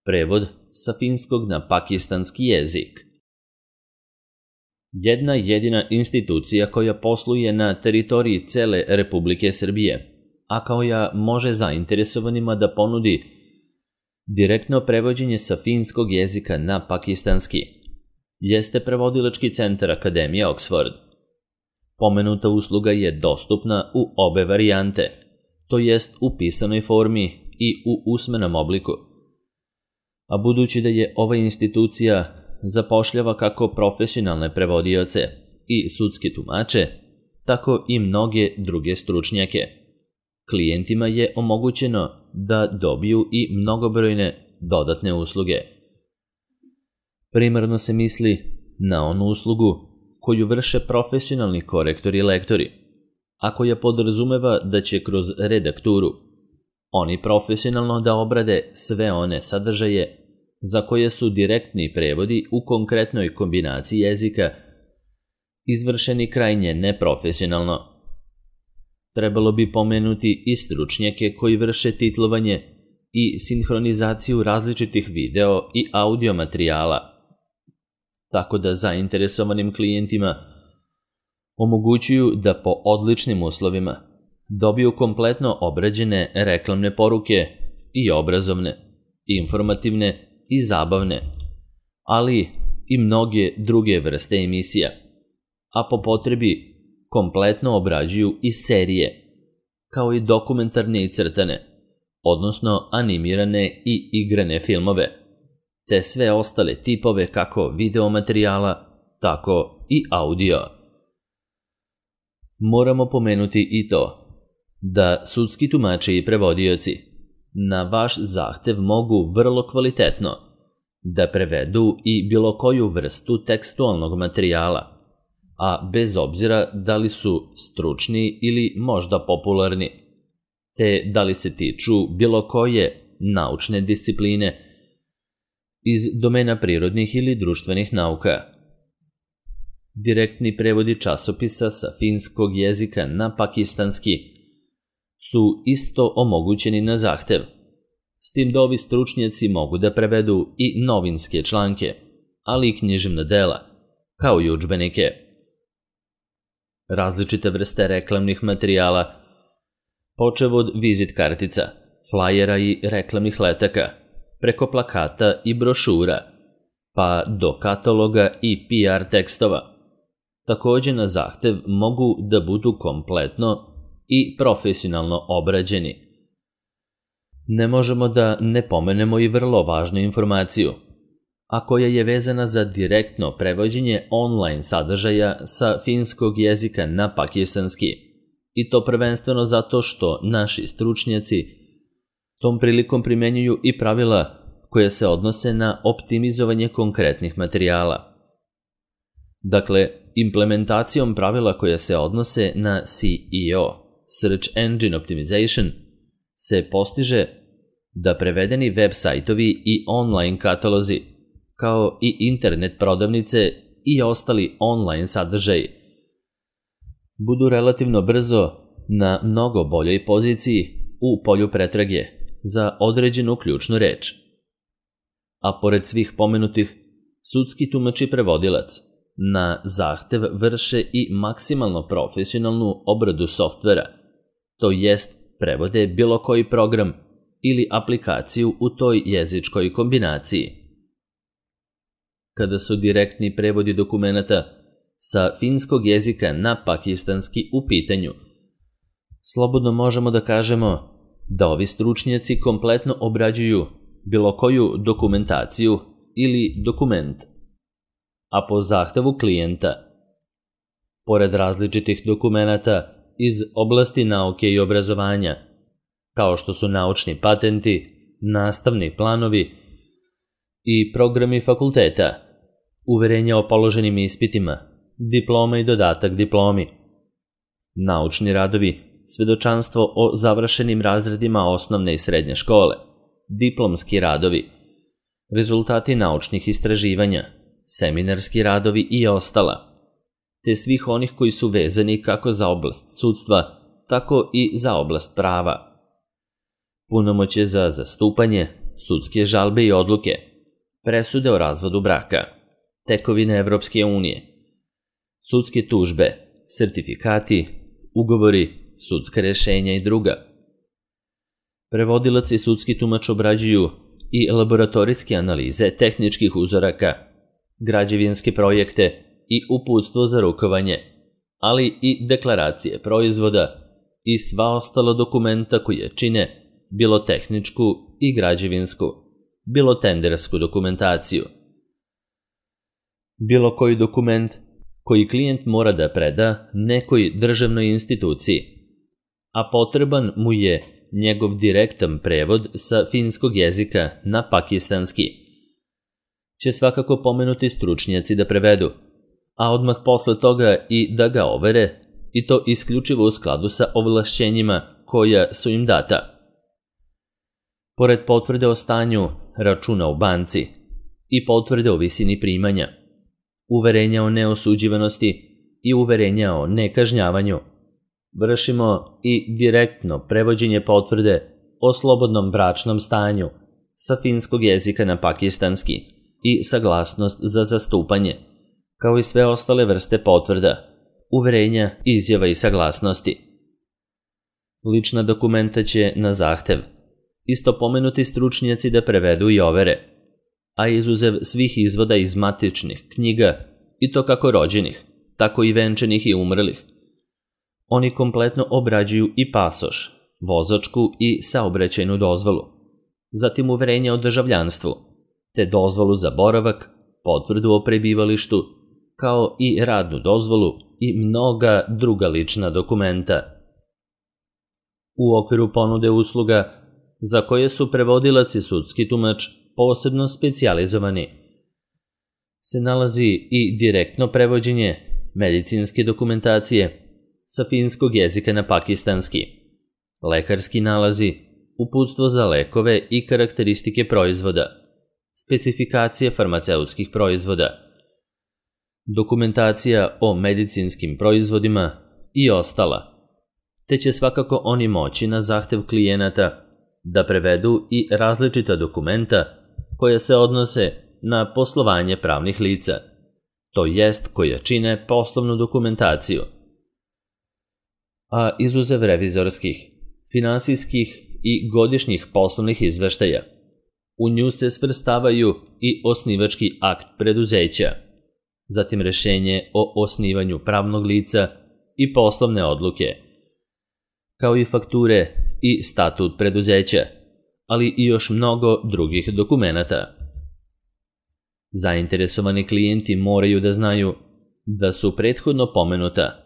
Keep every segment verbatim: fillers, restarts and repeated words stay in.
Prevod sa finskog na pakistanski jezik. Jedna jedina institucija koja posluje na teritoriji cele Republike Srbije, a koja može zainteresovanima da ponudi direktno prevođenje sa finskog jezika na pakistanski, jeste Prevodilački centar Akademija Oxford. Pomenuta usluga je dostupna u obe varijante, to jest u pisanoj formi i u usmenom obliku. A budući da je ova institucija zapošljava kako profesionalne prevodioce i sudske tumače, tako i mnoge druge stručnjake, klijentima je omogućeno da dobiju i mnogobrojne dodatne usluge. Primarno se misli na onu uslugu koju vrše profesionalni korektori i lektori, a koja podrazumeva da će kroz redakturu oni profesionalno da obrade sve one sadržaje za koje su direktni prevodi u konkretnoj kombinaciji jezika izvršeni krajnje neprofesionalno. Trebalo bi pomenuti i stručnjake koji vrše titlovanje i sinhronizaciju različitih video i audio materijala, tako da zainteresovanim klijentima omogućuju da po odličnim uslovima dobiju kompletno obrađene reklamne poruke i obrazovne, informativne i zabavne, ali i mnoge druge vrste emisija, a po potrebi kompletno obrađuju i serije, kao i dokumentarne i crtane, odnosno animirane i igrane filmove, te sve ostale tipove kako videomaterijala, tako i audio. Moramo pomenuti i to da sudski tumači i prevodioci na vaš zahtev mogu vrlo kvalitetno da prevedu i bilo koju vrstu tekstualnog materijala, a bez obzira da li su stručni ili možda popularni, te da li se tiču bilo koje naučne discipline iz domena prirodnih ili društvenih nauka. Direktni prevodi časopisa sa finskog jezika na pakistanski su isto omogućeni na zahtev, s tim da ovi stručnjaci mogu da prevedu i novinske članke, ali i književna dela, kao i udžbenike. Različite vrste reklamnih materijala, počev od vizit kartica, flajera i reklamnih letaka, preko plakata i brošura, pa do kataloga i P R tekstova, takođe na zahtev mogu da budu kompletno i profesionalno obrađeni. Ne možemo da ne pomenemo i vrlo važnu informaciju, a koja je vezana za direktno prevođenje online sadržaja sa finskog jezika na pakistanski, i to prvenstveno zato što naši stručnjaci tom prilikom primenjuju i pravila koje se odnose na optimizovanje konkretnih materijala. Dakle, implementacijom pravila koje se odnose na S E O, Search Engine Optimization, se postiže da prevedeni web sajtovi i online katalozi, kao i internet prodavnice i ostali online sadržaji, budu relativno brzo na mnogo boljoj poziciji u polju pretrage za određenu ključnu reč. A pored svih pomenutih, sudski tumač i prevodilac na zahtev vrše i maksimalno profesionalnu obradu softvera, to jest prevode bilo koji program ili aplikaciju u toj jezičkoj kombinaciji. Kada su direktni prevodi dokumenata sa finskog jezika na pakistanski u pitanju, slobodno možemo da kažemo da ovi stručnjaci kompletno obrađuju bilo koju dokumentaciju ili dokument, a po zahtevu klijenta, pored različitih dokumenata iz oblasti nauke i obrazovanja, kao što su naučni patenti, nastavni planovi i programi fakulteta, uverenja o položenim ispitima, diploma i dodatak diplomi, naučni radovi, svedočanstvo o završenim razredima osnovne i srednje škole, diplomski radovi, rezultati naučnih istraživanja, seminarski radovi i ostala, te svih onih koji su vezani kako za oblast sudstva, tako i za oblast prava. Punomoćje za zastupanje, sudske žalbe i odluke, presude o razvodu braka, tekovine Evropske unije, sudske tužbe, sertifikati, ugovori, sudska rešenja i druga. Prevodilac i sudski tumač obrađuju i laboratorijske analize tehničkih uzoraka, građevinske projekte i uputstvo za rukovanje, ali i deklaracije proizvoda i sva ostala dokumenta koje čine bilo tehničku i građevinsku, bilo tendersku dokumentaciju. Bilo koji dokument koji klijent mora da preda nekoj državnoj instituciji, a potreban mu je njegov direktan prevod sa finskog jezika na pakistanski, će svakako pomenuti stručnjaci da prevedu, a odmah posle toga i da ga overe, i to isključivo u skladu sa ovlašćenjima koja su im data. Pored potvrde o stanju računa u banci i potvrde o visini primanja, uverenja o neosuđivanosti i uverenja o nekažnjavanju, vršimo i direktno prevođenje potvrde o slobodnom bračnom stanju sa finskog jezika na pakistanski i saglasnost za zastupanje, kao i sve ostale vrste potvrda, uverenja, izjava i saglasnosti. Lična dokumenta će na zahtev isto pomenuti stručnjaci da prevedu i overe, a izuzev svih izvoda iz matičnih knjiga, i to kako rođenih, tako i venčanih i umrlih. Oni kompletno obrađuju i pasoš, vozačku i saobraćajnu dozvolu, zatim uverenje o državljanstvu, te dozvolu za boravak, potvrdu o prebivalištu, kao i radnu dozvolu i mnoga druga lična dokumenta. U okviru ponude usluga za koje su prevodilac i sudski tumač posebno specijalizovani, se nalazi i direktno prevođenje medicinske dokumentacije sa finskog jezika na pakistanski, lekarski nalazi, uputstvo za lekove i karakteristike proizvoda, specifikacije farmaceutskih proizvoda, dokumentacija o medicinskim proizvodima i ostala, te će svakako oni moći na zahtev klijenata da prevedu i različita dokumenta koja se odnose na poslovanje pravnih lica, to jest koja čine poslovnu dokumentaciju. A izuzev revizorskih, finansijskih i godišnjih poslovnih izveštaja, u nju se svrstavaju i osnivački akt preduzeća, zatim rešenje o osnivanju pravnog lica i poslovne odluke, kao i fakture i statut preduzeća, ali i još mnogo drugih dokumenata. Zainteresovani klijenti moraju da znaju da su prethodno pomenuta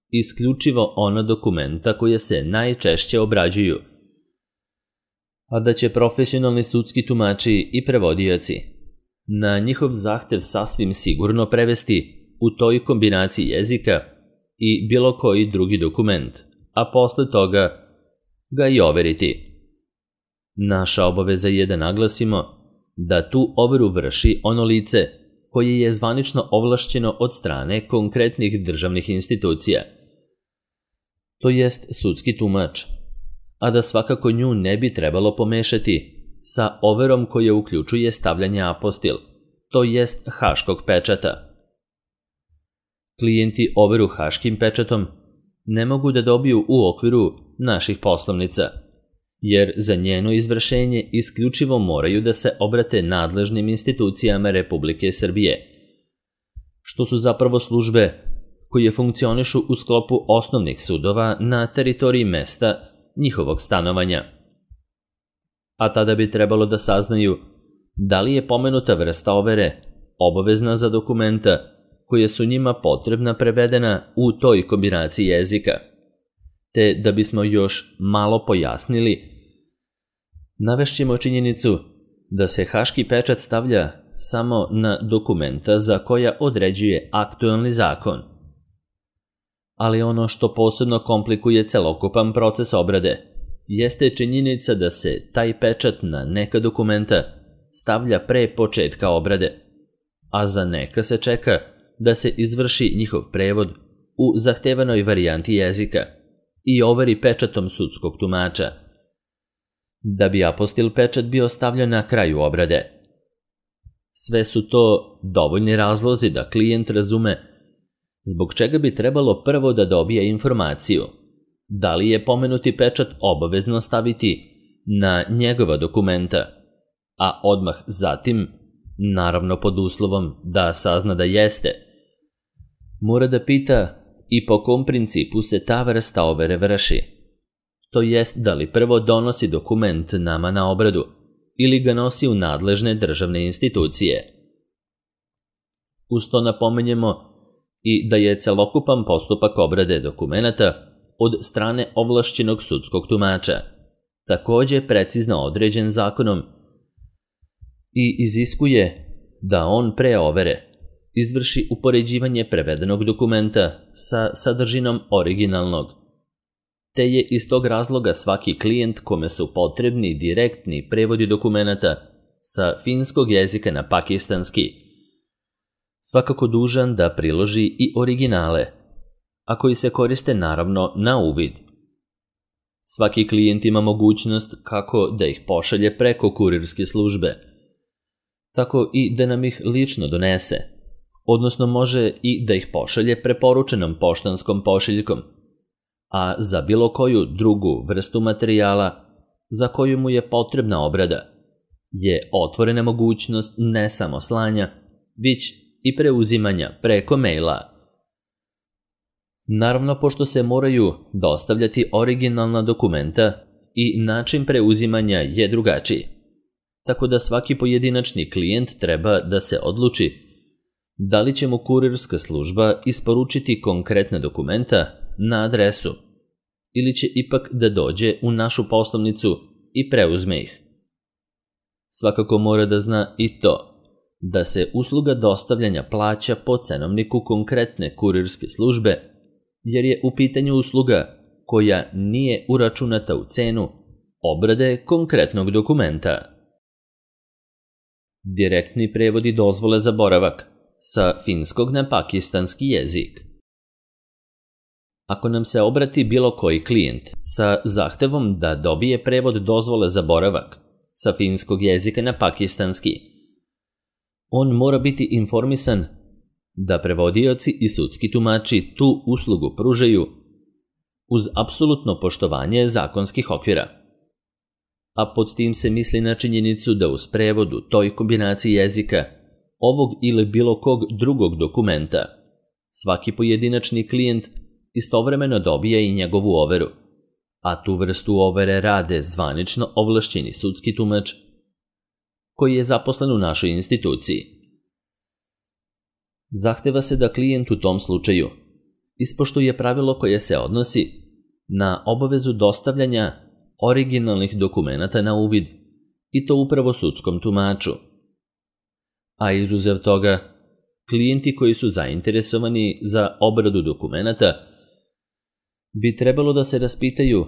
isključivo ona dokumenta koja se najčešće obrađuju, a da će profesionalni sudski tumači i prevodioci na njihov zahtev sasvim sigurno prevesti u toj kombinaciji jezika i bilo koji drugi dokument, a posle toga ga i overiti. Naša obaveza je da naglasimo da tu overu vrši ono lice koje je zvanično ovlašćeno od strane konkretnih državnih institucija, to jest sudski tumač, a da svakako nju ne bi trebalo pomešati sa overom koja uključuje stavljanje apostil, to jest haškog pečata. Klijenti overu haškim pečatom ne mogu da dobiju u okviru naših poslovnica, jer za njeno izvršenje isključivo moraju da se obrate nadležnim institucijama Republike Srbije, što su zapravo službe koje funkcionišu u sklopu osnovnih sudova na teritoriji mesta njihovog stanovanja. A tada bi trebalo da saznaju da li je pomenuta vrsta overe obavezna za dokumenta koje su njima potrebna prevedena u toj kombinaciji jezika, te da bismo još malo pojasnili, navešćemo činjenicu da se haški pečat stavlja samo na dokumenta za koja određuje aktuelni zakon. Ali ono što posebno komplikuje celokupan proces obrade jeste činjenica da se taj pečat na neka dokumenta stavlja pre početka obrade, a za neka se čeka da se izvrši njihov prevod u zahtevanoj varijanti jezika i overi pečatom sudskog tumača. da bi apostil pečat bio stavljen na kraju obrade. Sve su to dovoljni razlozi da klijent razume zbog čega bi trebalo prvo da dobije informaciju da li je pomenuti pečat obavezno staviti na njegova dokumenta, a odmah zatim, naravno pod uslovom da sazna da jeste, mora da pita i po kom principu se ta vrsta overe vrši, to jest da li prvo donosi dokument nama na obradu ili ga nosi u nadležne državne institucije. Uz to napomenjemo i da je celokupan postupak obrade dokumenata od strane ovlašćenog sudskog tumača takođe precizno određen zakonom i iziskuje da on pre overe izvrši upoređivanje prevedenog dokumenta sa sadržinom originalnog, te je iz tog razloga svaki klijent kome su potrebni direktni prevodi dokumenata sa finskog jezika na pakistanski svakako dužan da priloži i originale, a koji se koriste naravno na uvid. Svaki klijent ima mogućnost kako da ih pošalje preko kurirske službe, tako i da nam ih lično donese, odnosno može i da ih pošalje preporučenom poštanskom pošiljkom, a za bilo koju drugu vrstu materijala za koju mu je potrebna obrada je otvorena mogućnost ne samo slanja, već i preuzimanja preko maila. Naravno, pošto se moraju dostavljati originalna dokumenta i način preuzimanja je drugačiji, tako da svaki pojedinačni klijent treba da se odluči da li će mu kurirska služba isporučiti konkretna dokumenta na adresu ili će ipak da dođe u našu poslovnicu i preuzme ih. Svakako mora da zna i to da se usluga dostavljanja plaća po cenovniku konkretne kurirske službe, jer je u pitanju usluga koja nije uračunata u cenu obrade konkretnog dokumenta. Direktni prevodi dozvole za boravak sa finskog na pakistanski jezik. Ako nam se obrati bilo koji klijent sa zahtevom da dobije prevod dozvole za boravak sa finskog jezika na pakistanski, on mora biti informisan da prevodioci i sudski tumači tu uslugu pružaju uz apsolutno poštovanje zakonskih okvira. A pod tim se misli na činjenicu da uz prevod u toj kombinaciji jezika, ovog ili bilo kog drugog dokumenta, svaki pojedinačni klijent istovremeno dobije i njegovu overu, a tu vrstu overe rade zvanično ovlašćeni sudski tumač koji je zaposlen u našoj instituciji. Zahteva se da klijent u tom slučaju ispoštuje pravilo koje se odnosi na obavezu dostavljanja originalnih dokumenata na uvid, i to upravo sudskom tumaču. A izuzev toga, klijenti koji su zainteresovani za obradu dokumenata bi trebalo da se raspitaju,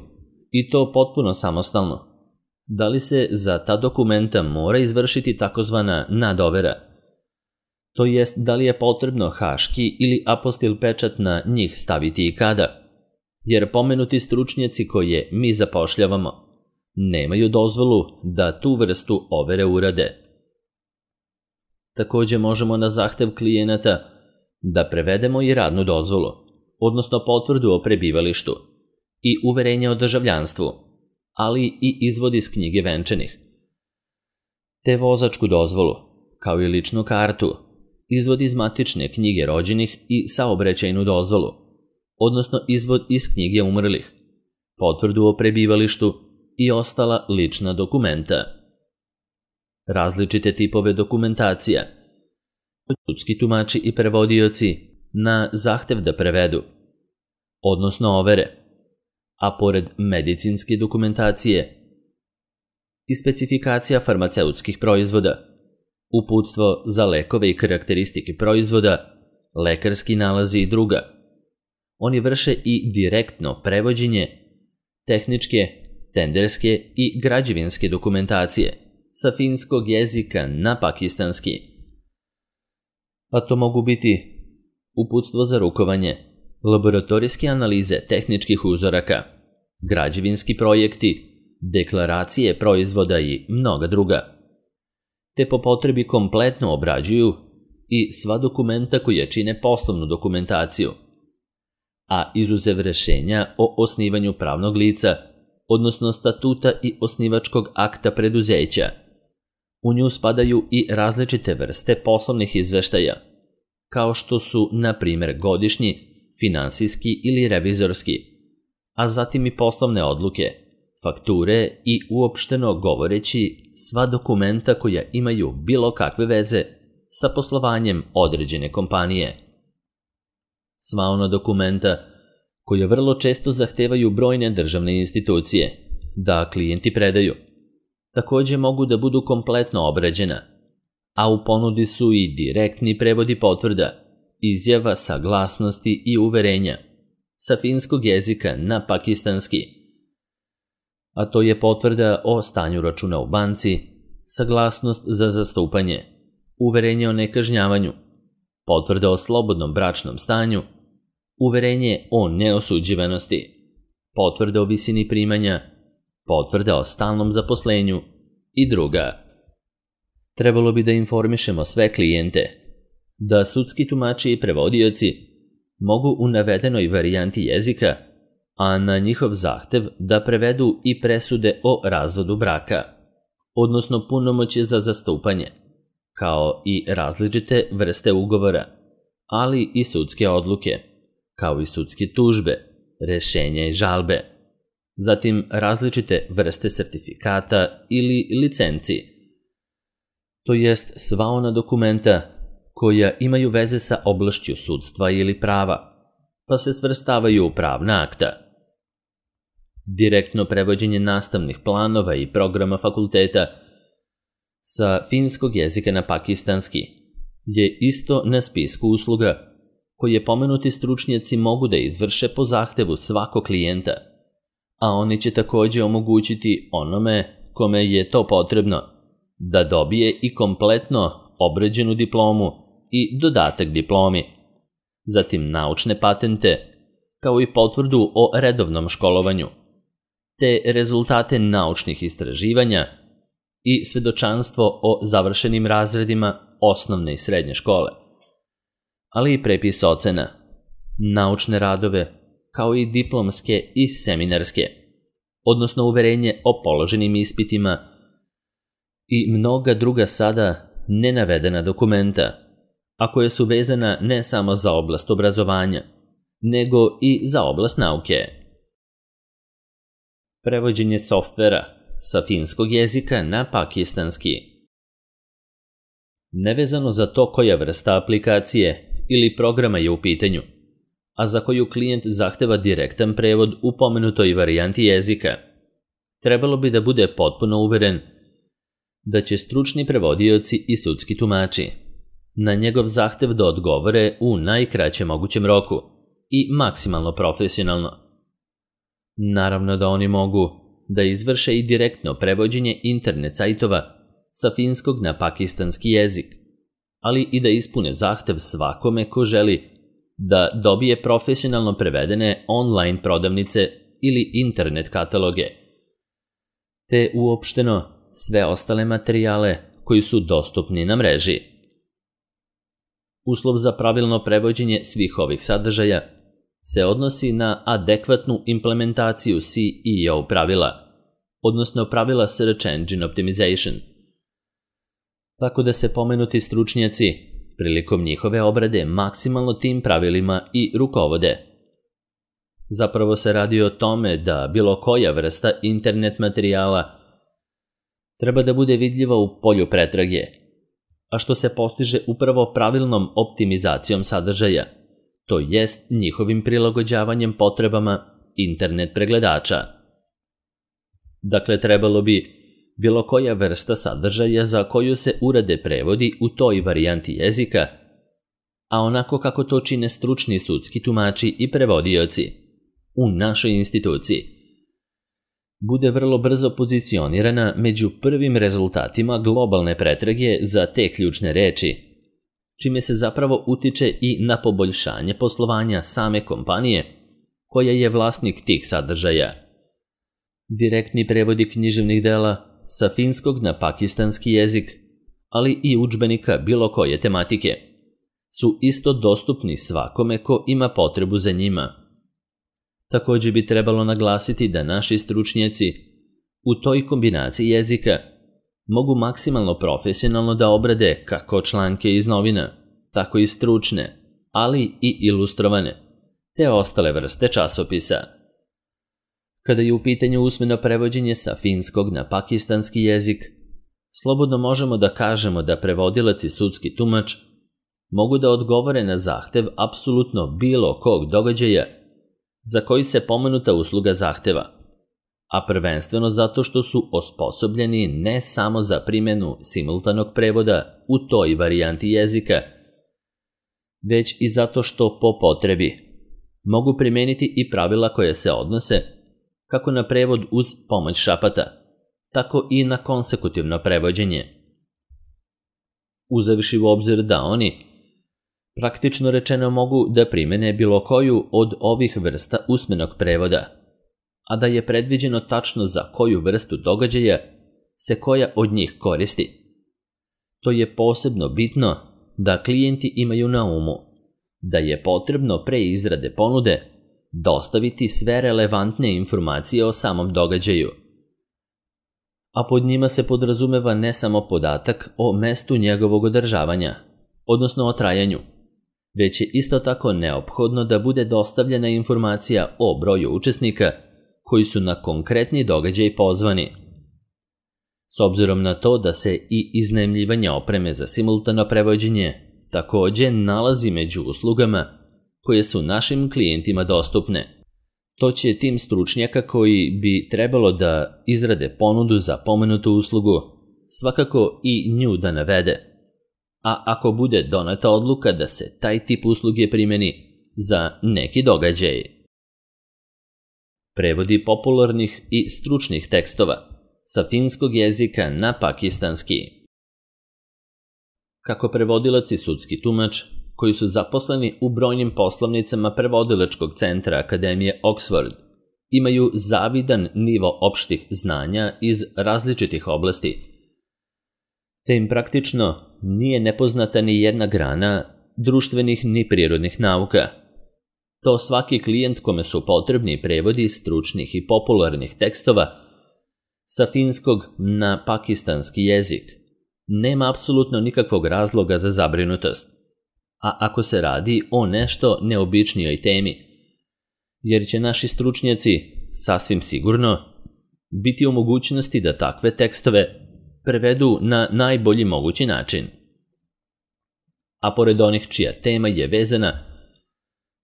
i to potpuno samostalno, da li se za ta dokumenta mora izvršiti takozvana nadovera, to jest da li je potrebno haški ili apostil pečat na njih staviti i kada, jer pomenuti stručnjaci koje mi zapošljavamo nemaju dozvolu da tu vrstu overe urade. Takođe možemo na zahtev klijenata da prevedemo i radnu dozvolu, odnosno potvrdu o prebivalištu i uverenje o državljanstvu, ali i izvod iz knjige venčanih, te vozačku dozvolu, kao i ličnu kartu, izvod iz matične knjige rođenih i saobraćajnu dozvolu, odnosno izvod iz knjige umrlih, potvrdu o prebivalištu i ostala lična dokumenta. Različite tipove dokumentacija, sudski tumači i prevodioci na zahtev da prevedu, odnosno overe, a pored medicinske dokumentacije i specifikacija farmaceutskih proizvoda, uputstvo za lekove i karakteristike proizvoda, lekarski nalazi i druga. Oni vrše i direktno prevođenje tehničke, tenderske i građevinske dokumentacije sa finskog jezika na pakistanski. A to mogu biti uputstvo za rukovanje, laboratorijske analize tehničkih uzoraka, građevinski projekti, deklaracije proizvoda i mnoga druga, te po potrebi kompletno obrađuju i sva dokumenta koja čine poslovnu dokumentaciju, a izuzev rešenja o osnivanju pravnog lica, odnosno statuta i osnivačkog akta preduzeća. U nju spadaju i različite vrste poslovnih izveštaja, kao što su, na primjer, godišnji, finansijski ili revizorski, a zatim i poslovne odluke, fakture i uopšteno govoreći sva dokumenta koja imaju bilo kakve veze sa poslovanjem određene kompanije. Sva ona dokumenta koja vrlo često zahtevaju brojne državne institucije da klijenti predaju, takođe mogu da budu kompletno obrađena, a u ponudi su i direktni prevodi potvrda, izjava, saglasnosti i uverenja sa finskog jezika na pakistanski, a to je potvrda o stanju računa u banci, saglasnost za zastupanje, uverenje o nekažnjavanju, potvrda o slobodnom bračnom stanju, uverenje o neosuđivanosti, potvrda o visini primanja, potvrda o stalnom zaposlenju i druga. Trebalo bi da informišemo sve klijente da sudski tumači i prevodioci mogu u navedenoj varijanti jezika, a na njihov zahtev da prevedu i presude o razvodu braka, odnosno punomoćje za zastupanje, kao i različite vrste ugovora, ali i sudske odluke, kao i sudske tužbe, rešenja i žalbe, zatim različite vrste sertifikata ili licenci, to jest sva ona dokumenta koja imaju veze sa oblašću sudstva ili prava, pa se svrstavaju u pravna akta. Direktno prevođenje nastavnih planova i programa fakulteta sa finskog jezika na pakistanski je isto na spisku usluga koje pomenuti stručnjaci mogu da izvrše po zahtevu svakog klijenta, a oni će takođe omogućiti onome kome je to potrebno da dobije i kompletno obrađenu diplomu i dodatak diplomi, zatim naučne patente, kao i potvrdu o redovnom školovanju, te rezultate naučnih istraživanja i svedočanstvo o završenim razredima osnovne i srednje škole, ali i prepis ocena, naučne radove, kao i diplomske i seminarske, odnosno uverenje o položenim ispitima i mnoga druga sada nenavedena dokumenta, a koje su vezana ne samo za oblast obrazovanja, nego i za oblast nauke. Prevođenje softvera sa finskog jezika na pakistanski. Nevezano za to koja vrsta aplikacije ili programa je u pitanju, a za koju klijent zahteva direktan prevod u pomenutoj varijanti jezika, trebalo bi da bude potpuno uveren da će stručni prevodioci i sudski tumači na njegov zahtev da odgovore u najkraćem mogućem roku i maksimalno profesionalno. Naravno da oni mogu da izvrše i direktno prevođenje internet sajtova sa finskog na pakistanski jezik, ali i da ispune zahtev svakome ko želi da dobije profesionalno prevedene online prodavnice ili internet kataloge, te uopšteno sve ostale materijale koji su dostupni na mreži. Uslov za pravilno prevođenje svih ovih sadržaja se odnosi na adekvatnu implementaciju C E O pravila, odnosno pravila Search Engine Optimization, tako da se pomenuti stručnjaci prilikom njihove obrade maksimalno tim pravilima i rukovode. Zapravo se radi o tome da bilo koja vrsta internet materijala treba da bude vidljiva u polju pretrage, a što se postiže upravo pravilnom optimizacijom sadržaja, to jest njihovim prilagođavanjem potrebama internet pregledača. Dakle, trebalo bi bilo koja vrsta sadržaja za koju se urade prevodi u toj varijanti jezika, a onako kako to čine stručni sudski tumači i prevodioci u našoj instituciji, bude vrlo brzo pozicionirana među prvim rezultatima globalne pretrage za te ključne reči, čime se zapravo utiče i na poboljšanje poslovanja same kompanije koja je vlasnik tih sadržaja. Direktni prevodi književnih dela sa finskog na pakistanski jezik, ali i udžbenika bilo koje tematike, su isto dostupni svakome ko ima potrebu za njima. Također bi trebalo naglasiti da naši stručnjaci u toj kombinaciji jezika mogu maksimalno profesionalno da obrade kako članke iz novina, tako i stručne, ali i ilustrovane, te ostale vrste časopisa. Kada je u pitanju usmeno prevođenje sa finskog na pakistanski jezik, slobodno možemo da kažemo da prevodilac i sudski tumač mogu da odgovore na zahtev apsolutno bilo kog događaja za koji se pomenuta usluga zahteva, a prvenstveno zato što su osposobljeni ne samo za primjenu simultanog prevoda u toj varijanti jezika, već i zato što po potrebi mogu primijeniti i pravila koje se odnose kako na prevod uz pomoć šapata, tako i na konsekutivno prevođenje. Uzevši u obzir da oni praktično rečeno mogu da primene bilo koju od ovih vrsta usmenog prevoda, a da je predviđeno tačno za koju vrstu događaja se koja od njih koristi. To je posebno bitno da klijenti imaju na umu da je potrebno pre izrade ponude dostaviti sve relevantne informacije o samom događaju, a pod njima se podrazumeva ne samo podatak o mestu njegovog održavanja, odnosno o trajanju, već je isto tako neophodno da bude dostavljena informacija o broju učesnika koji su na konkretni događaj pozvani. S obzirom na to da se i iznajmljivanje opreme za simultano prevođenje također nalazi među uslugama koje su našim klijentima dostupne, to će tim stručnjaka koji bi trebalo da izrade ponudu za pomenutu uslugu svakako i nju da navede, a ako bude doneta odluka da se taj tip usluge primjeni za neki događaj. Prevodi popularnih i stručnih tekstova sa finskog jezika na pakistanski. Kako prevodilac i sudski tumač, koji su zaposleni u brojnim poslovnicama prevodilačkog centra Akademije Oxford, imaju zavidan nivo opštih znanja iz različitih oblasti, te im praktično nije nepoznata ni jedna grana društvenih ni prirodnih nauka. To svaki klijent kome su potrebni prevodi stručnih i popularnih tekstova sa finskog na pakistanski jezik nema apsolutno nikakvog razloga za zabrinutost, a ako se radi o nešto neobičnijoj temi, jer će naši stručnjaci sasvim sigurno biti u mogućnosti da takve tekstove prevedu na najbolji mogući način. A pored onih čija tema je vezana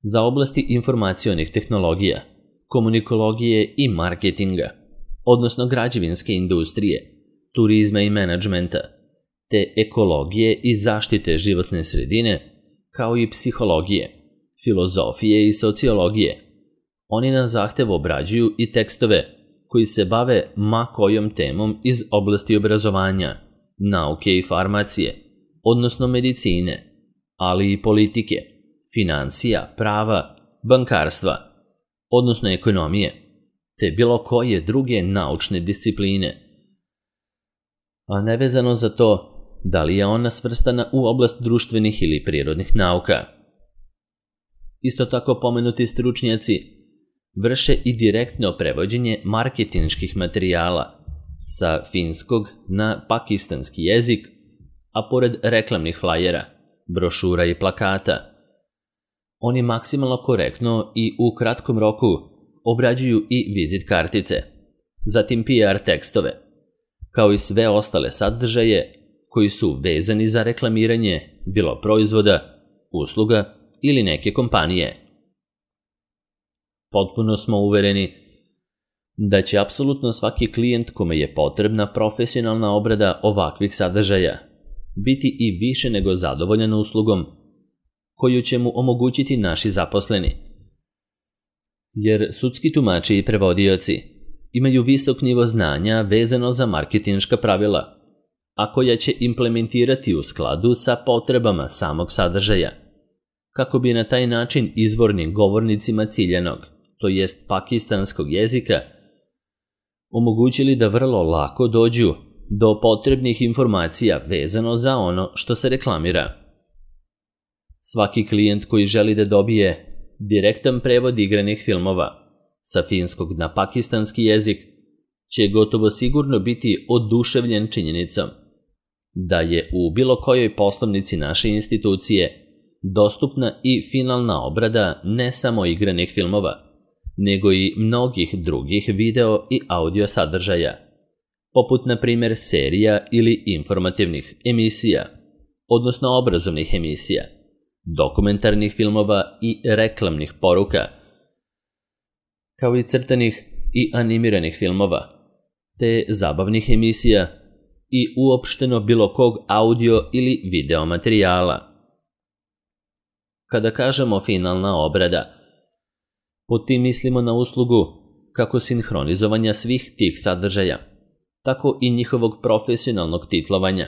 za oblasti informacionih tehnologija, komunikologije i marketinga, odnosno građevinske industrije, turizma i menadžmenta, te ekologije i zaštite životne sredine, kao i psihologije, filozofije i sociologije. Oni na zahtev obrađuju i tekstove koji se bave ma kojom temom iz oblasti obrazovanja, nauke i farmacije, odnosno medicine, ali i politike, financija, prava, bankarstva, odnosno ekonomije, te bilo koje druge naučne discipline, a nevezano za to da li je ona svrstana u oblast društvenih ili prirodnih nauka. Isto tako pomenuti stručnjaci vrše i direktno prevođenje marketinških materijala sa finskog na pakistanski jezik, a pored reklamnih flajera, brošura i plakata, oni maksimalno korektno i u kratkom roku obrađuju i vizit kartice, zatim P R tekstove, kao i sve ostale sadržaje koji su vezani za reklamiranje bilo proizvoda, usluga ili neke kompanije. Potpuno smo uvereni da će apsolutno svaki klijent kome je potrebna profesionalna obrada ovakvih sadržaja biti i više nego zadovoljan uslugom koju će mu omogućiti naši zaposleni. Jer sudski tumači i prevodioci imaju visok nivo znanja vezano za marketinška pravila, a koja će implementirati u skladu sa potrebama samog sadržaja, kako bi na taj način izvornim govornicima ciljanog, to jest pakistanskog jezika, omogućili da vrlo lako dođu do potrebnih informacija vezano za ono što se reklamira. Svaki klijent koji želi da dobije direktan prevod igranih filmova sa finskog na pakistanski jezik će gotovo sigurno biti oduševljen činjenicom da je u bilo kojoj poslovnici naše institucije dostupna i finalna obrada ne samo igranih filmova, nego i mnogih drugih video i audio sadržaja, poput na primjer serija ili informativnih emisija, odnosno obrazovnih emisija, dokumentarnih filmova i reklamnih poruka, kao i crtanih i animiranih filmova, te zabavnih emisija i uopšteno bilo kog audio ili video materijala. Kada kažemo finalna obrada, pod tim mislimo na uslugu kako sinhronizovanja svih tih sadržaja, tako i njihovog profesionalnog titlovanja,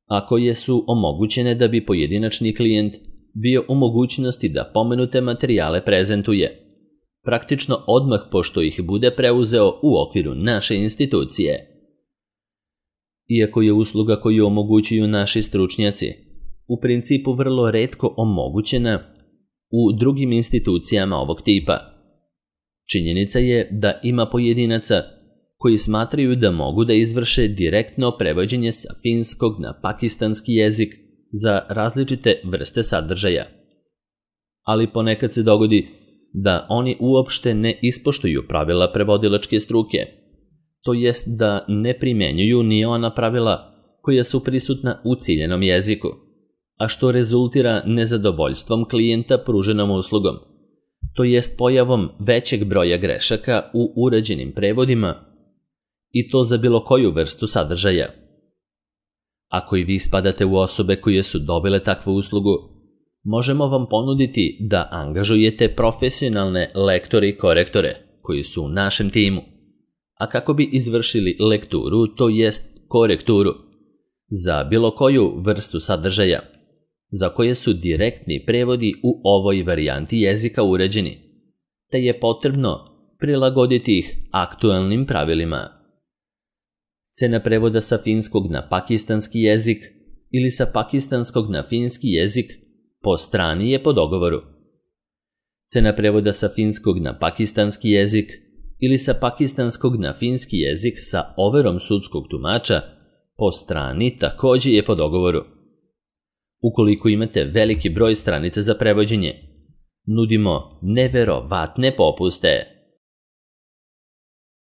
a koje su omogućene da bi pojedinačni klijent bio u mogućnosti da pomenute materijale prezentuje, praktično odmah pošto ih bude preuzeo u okviru naše institucije. Iako je usluga koju omogućuju naši stručnjaci u principu vrlo retko omogućena u drugim institucijama ovog tipa, činjenica je da ima pojedinaca koji smatraju da mogu da izvrše direktno prevođenje sa finskog na pakistanski jezik za različite vrste sadržaja. Ali ponekad se dogodi da oni uopšte ne ispoštuju pravila prevodilačke struke, to jest da ne primenjuju ni ona pravila koja su prisutna u ciljenom jeziku, a što rezultira nezadovoljstvom klijenta pruženom uslugom, to jest pojavom većeg broja grešaka u urađenim prevodima i to za bilo koju vrstu sadržaja. Ako i vi spadate u osobe koje su dobile takvu uslugu, možemo vam ponuditi da angažujete profesionalne lektore i korektore koji su u našem timu, a kako bi izvršili lekturu, to jest korekturu, za bilo koju vrstu sadržaja, za koje su direktni prevodi u ovoj varijanti jezika uređeni, te je potrebno prilagoditi ih aktualnim pravilima. Cena prevoda sa finskog na pakistanski jezik ili sa pakistanskog na finski jezik po strani je po dogovoru. Cena prevoda sa finskog na pakistanski jezik ili sa pakistanskog na finski jezik sa overom sudskog tumača po strani također je po dogovoru. Ukoliko imate veliki broj stranica za prevođenje, nudimo neverovatne popuste.